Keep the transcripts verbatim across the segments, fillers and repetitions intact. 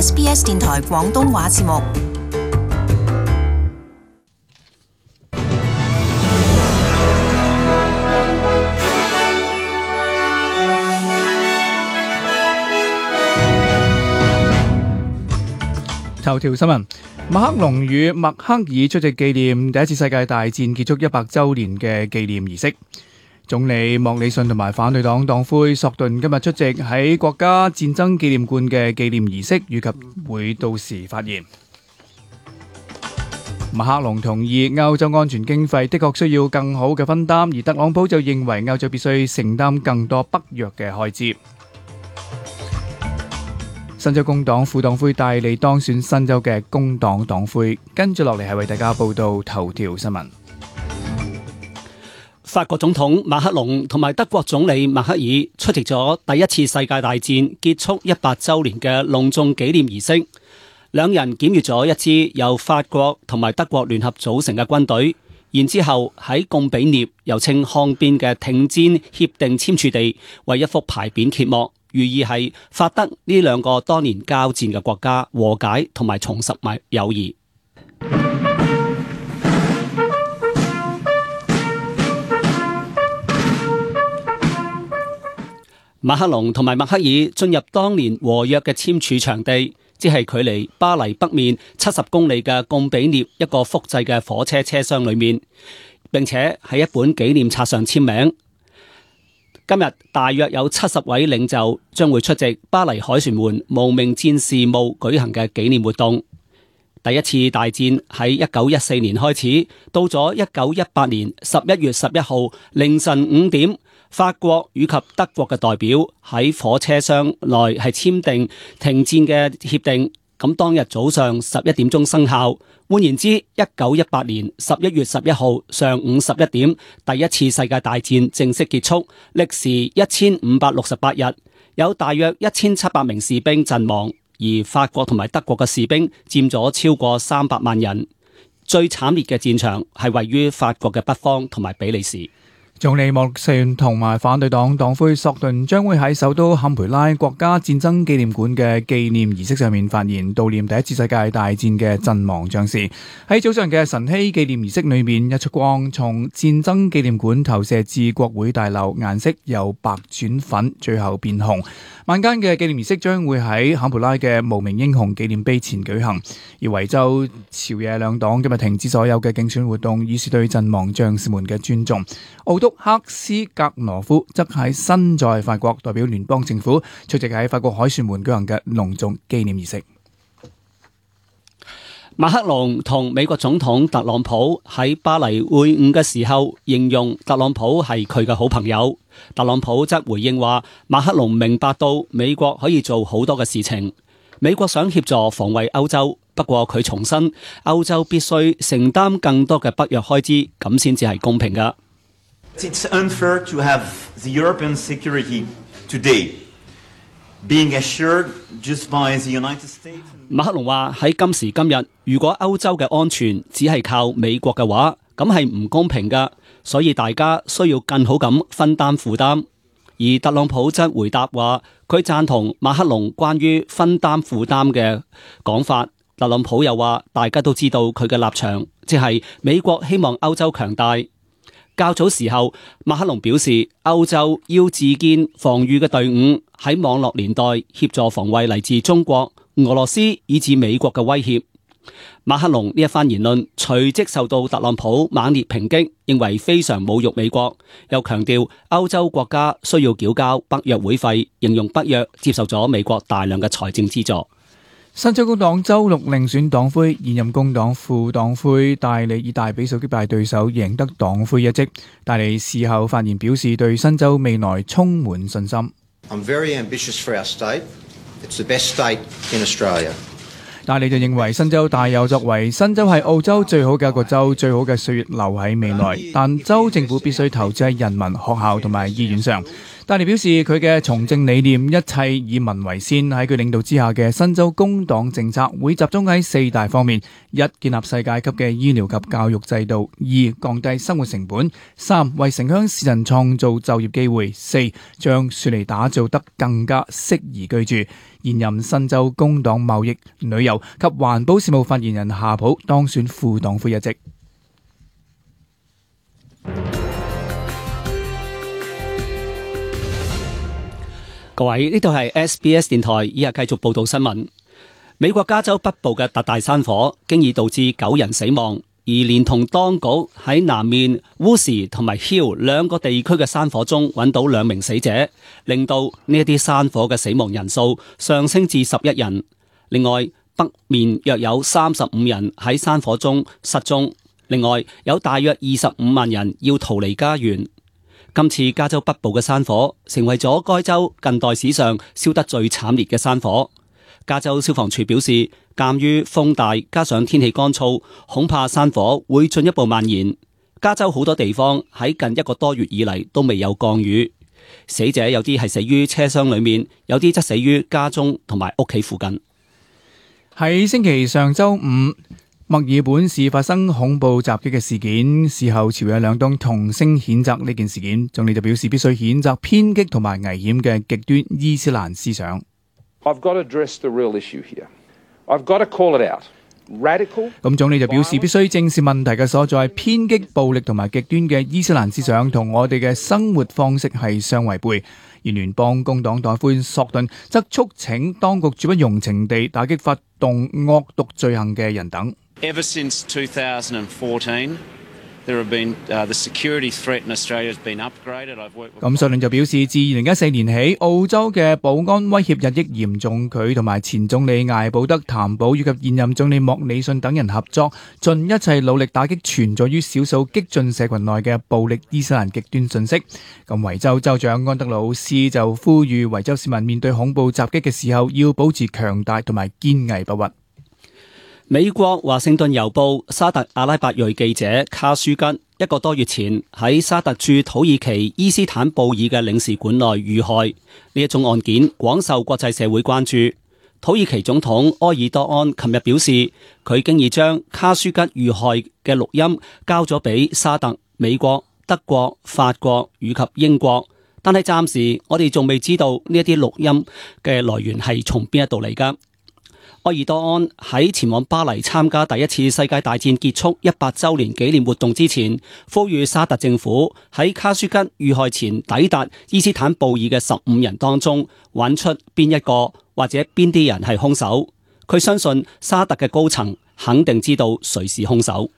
S B S 電台廣東話節目。頭條新聞：馬克龍與默克爾出席紀念第一次世界大戰結束一百週年嘅紀念儀式。總理莫里遜同埋反對黨黨魁索頓今日出席喺國家戰爭紀念館嘅紀念儀式，以及會到時發言。馬克龍同意歐洲安全經費的確需要更好嘅分擔，而特朗普就認為歐洲必須承擔更多北約嘅開支。新州工黨副黨魁戴利當選新州嘅工黨黨魁，跟住落嚟係為大家報道頭條新聞。法國總統馬克龍同埋德國總理默克爾出席咗第一次世界大戰結束一百週年嘅隆重紀念儀式，兩人檢閱咗一支由法國同埋德國聯合組成嘅軍隊，然之後喺貢比涅又稱抗邊嘅停戰協定簽署地為一幅牌匾揭幕。寓意係法德呢兩個多年交戰嘅國家和解同埋重拾埋友誼。馬克龍同埋默克爾進入當年和約嘅簽署場地，即係距離巴黎北面七十公里嘅貢比涅一個複製嘅火車車廂裏面，並且喺一本紀念冊上簽名。今日大約有七十位領袖將會出席巴黎凱旋門無名戰士墓舉行嘅紀念活動。第一次大戰喺一九一四年開始，到咗一九一八年十一月十一號凌晨五點，法國以及德國嘅代表喺火車廂內係簽訂停戰嘅協定。咁當日早上十一點鐘生效。換言之，一九一八年十一月十一號上午十一點，第一次世界大戰正式結束，歷時一千五百六十八日，有大約一千七百名士兵陣亡，而法國同埋德國嘅士兵佔咗超過三百萬人。最慘烈嘅戰場係位於法國嘅北方同埋比利時。總理莫里遜同埋反對黨黨魁索頓將會喺首都坎培拉國家戰爭紀念館嘅紀念儀式上面發言，悼念第一次世界大戰嘅陣亡將士。喺早上嘅晨曦紀念儀式裏面，一束光從戰爭紀念館投射至國會大樓，顏色由白轉粉，最後變紅。晚間嘅紀念儀式將會喺坎培拉嘅無名英雄紀念碑前舉行。而維州朝野兩黨今日停止所有嘅競選活動，以示對陣亡將士們嘅尊重。奧督克斯格羅夫則喺身在法國，代表聯邦政府出席喺法國凱旋門舉行嘅隆重紀念儀式。馬克龍同美國總統特朗普喺巴黎會晤嘅時候，形容特朗普係佢嘅好朋友。特朗普則回應話，馬克龍明白到美國可以做好多嘅事情，美國想協助防衛歐洲，不過佢重申歐洲必須承擔更多嘅北約開支，咁先至係公平㗎。It's unfair to have the European security today being assured just by the United States. 馬克龍話喺今時今日，如果歐洲嘅安全只係靠美國嘅話，咁係唔公平㗎，所以大家需要更好咁分擔負擔。而特朗普則回答話，佢贊同馬克龍關於分擔負擔嘅講法。特朗普又話，大家都知道佢嘅立場，即係美國希望歐洲強大。較早時候，馬克龍表示，歐洲要自建防禦嘅隊伍，喺網絡年代協助防衛嚟自中國、俄羅斯以至美國嘅威脅。馬克龍呢一番言論隨即受到特朗普猛烈抨擊，認為非常侮辱美國，又強調歐洲國家需要繳交北約會費，形容北約接受咗美國大量嘅財政資助。新州工黨周六另選黨魁，現任工黨副黨魁戴利以大比數擊敗對手，贏得黨魁一職。戴利事後發言表示，對新州未來充滿信心。I'm very ambitious for our state. It's the best state in Australia. 戴利就認為新州大有作為，新州係澳洲最好嘅一個州，最好嘅歲月留喺未來，但州政府必須投資喺人民、學校同埋醫院上。戴利表示佢嘅從政理念一切以民為先，喺佢領導之下嘅新州工黨政策會集中喺四大方面：一、建立世界級嘅醫療及教育制度；二、降低生活成本；三、為城鄉市人創造就業機會；四、將雪梨打造得更加適宜居住。現任新州工黨貿易、旅遊及環保事務發言人夏普當選副黨魁一職。各位，呢度係 S B S 電台，以下繼續報道新聞。美國加州北部嘅特大山火，經已導致九人死亡，而連同當局喺南面 Woodsy 同埋 Hill 兩個地區嘅山火中揾到兩名死者，令到呢一啲山火嘅死亡人數上升至十一人。另外，北面約有三十五人喺山火中失蹤，另外有大約二十五萬人要逃離家園。今次加州北部嘅山火成為咗該州近代史上燒得最慘烈嘅山火。加州消防處表示，鑒於風大加上天氣乾燥，恐怕山火會進一步蔓延。加州好多地方喺近一個多月以嚟都未有降雨。死者有啲係死於車廂裏面，有啲則死於家中同埋屋企附近。喺星期上周五，墨爾本市發生恐怖襲擊嘅事件，事後朝野兩黨同聲譴責呢件事件，總理就表示必須譴責偏激同埋危險嘅極端伊斯蘭思想。I've got to address the real issue here. I've got to call it out. Radical. 咁總理就表示必須正視問題嘅所在，偏激、暴力同埋極端嘅伊斯蘭思想同我哋嘅生活方式係相違背。而聯邦工黨黨魁索頓則促請當局絕不容情地打擊發動惡毒罪行嘅人等。Ever since two thousand fourteen, there have been uh, the security threat in Australia has been upgraded. I've worked with 咁索頓就表示，自二零一四年起，澳洲嘅保安威脅日益嚴重，佢同埋前總理艾保德、譚寶以及現任總理莫里遜等人合作，盡一切努力打擊存在於少數激進社群內嘅暴力伊斯蘭極端信息。咁維州州長安德魯斯就呼籲維州市民面對恐怖襲擊嘅時候，要保持強大同埋堅毅不屈。美國華盛頓郵報沙特阿拉伯裔記者卡舒吉一個多月前喺沙特駐土耳其伊斯坦布爾嘅領事館內遇害，呢一宗案件廣受國際社會關注。土耳其總統埃爾多安琴日表示，佢經已將卡舒吉遇害嘅錄音交咗俾沙特、美國、德國、法國以及英國，但係暫時我哋仲未知道呢一啲錄音嘅來源係從邊一度嚟㗎。埃爾多安喺前往巴黎參加第一次世界大戰結束一百週年紀念活動之前，呼籲沙特政府喺卡舒吉遇害前抵達伊斯坦布爾嘅十五人當中，揾出邊一個或者邊啲人係兇手。佢相信沙特嘅高層肯定知道誰是兇手。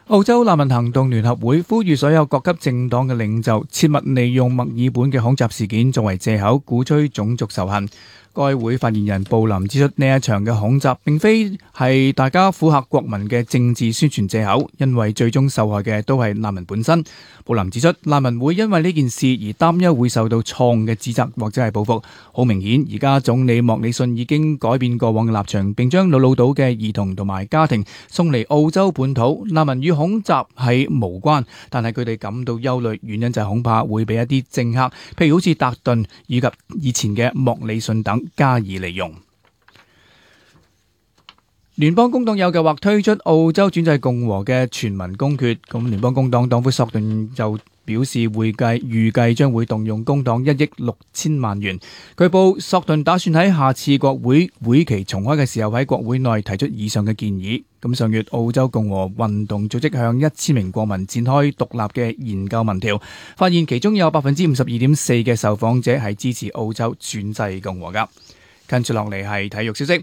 澳洲難民行動聯合會呼籲所有各級政黨嘅領袖切勿利用墨爾本嘅恐襲事件作為藉口，鼓吹種族仇恨。該會發言人布林指出，呢一場嘅恐襲並非係大家苦嚇國民嘅政治宣傳藉口，因為最終受害嘅都係難民本身。布林指出，難民會因為呢件事而擔憂會受到錯誤嘅指責或者係報復。好明顯，而家總理莫里遜已經改變過往嘅立場，並將瑙魯島嘅兒童同埋家庭送嚟澳洲本土。難民與恐襲係無關，但係佢哋感到憂慮，原因就係恐怕會俾一啲政客，譬如好似達頓以及以前嘅莫里遜等加以利用。聯邦工黨有計劃推出澳洲專制共和嘅全民公決，咁聯邦工黨黨魁索頓就表示會計預計將會動用工黨一億六千萬元。據報索頓打算喺下次國會會期重開嘅時候喺國會內提出以上嘅建議。咁上月澳洲共和運動組織向一千名國民展開獨立嘅研究民調，發現其中有百分之五十二點四嘅受訪者係支持澳洲專制共和噶。跟住落嚟係體育消息。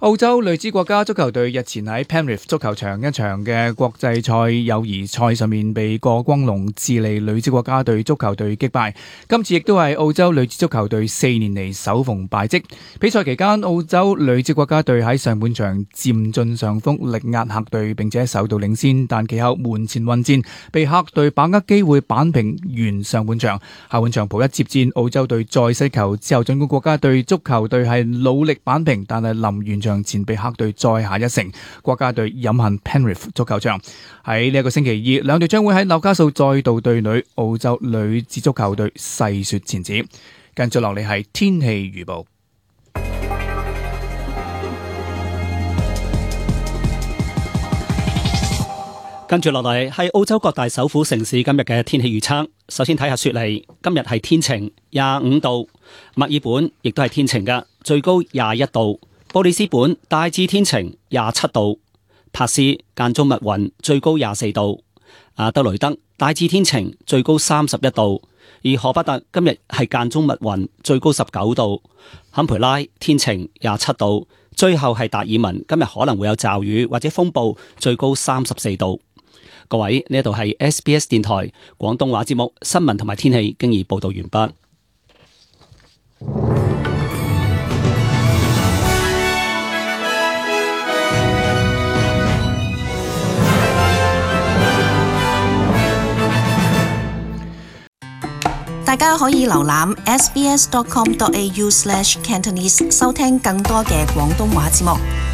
澳洲女子國家足球隊日前喺 Penrith 足球場一場嘅國際賽友誼賽上面被過光龍智利女子國家隊足球隊擊敗，今次亦都係澳洲女子足球隊四年嚟首逢敗績。比賽期間，澳洲女子國家隊喺上半場佔盡上風，力壓客隊，並且首度領先，但其後門前混戰，被客隊把握機會扳平完上半場。下半場補一接戰，澳洲隊再失球之後，儘管國家隊足球隊係努力扳平，但係臨完場讓前比克隊再下一城。國家隊飲恨 Penrith 足球場。喺呢一個星期二，兩隊將會喺紐卡素再度對壘澳洲女子足球隊細雪前子。跟住落嚟係天氣預報。跟住落嚟係澳洲各大首府城市今日嘅天氣預測。首先睇下雪梨，今日係天晴，廿五度；墨爾本亦都係天晴嘅，最高廿一度；布里斯本大致天晴，廿七度；珀斯間中密雲，最高廿四度；阿德雷德大致天晴，最高三十一度；而荷伯特今日係間中密雲，最高十九度；坎培拉天晴，廿七度；最後係達爾文，今日可能會有驟雨或者風暴，最高三十四度。各位，呢度係 S B S 電台廣東話節目新聞同埋天氣，經已報道完畢。大家可以瀏覽 s b s dot com dot a u slash cantonese 收聽更多嘅廣東話節目。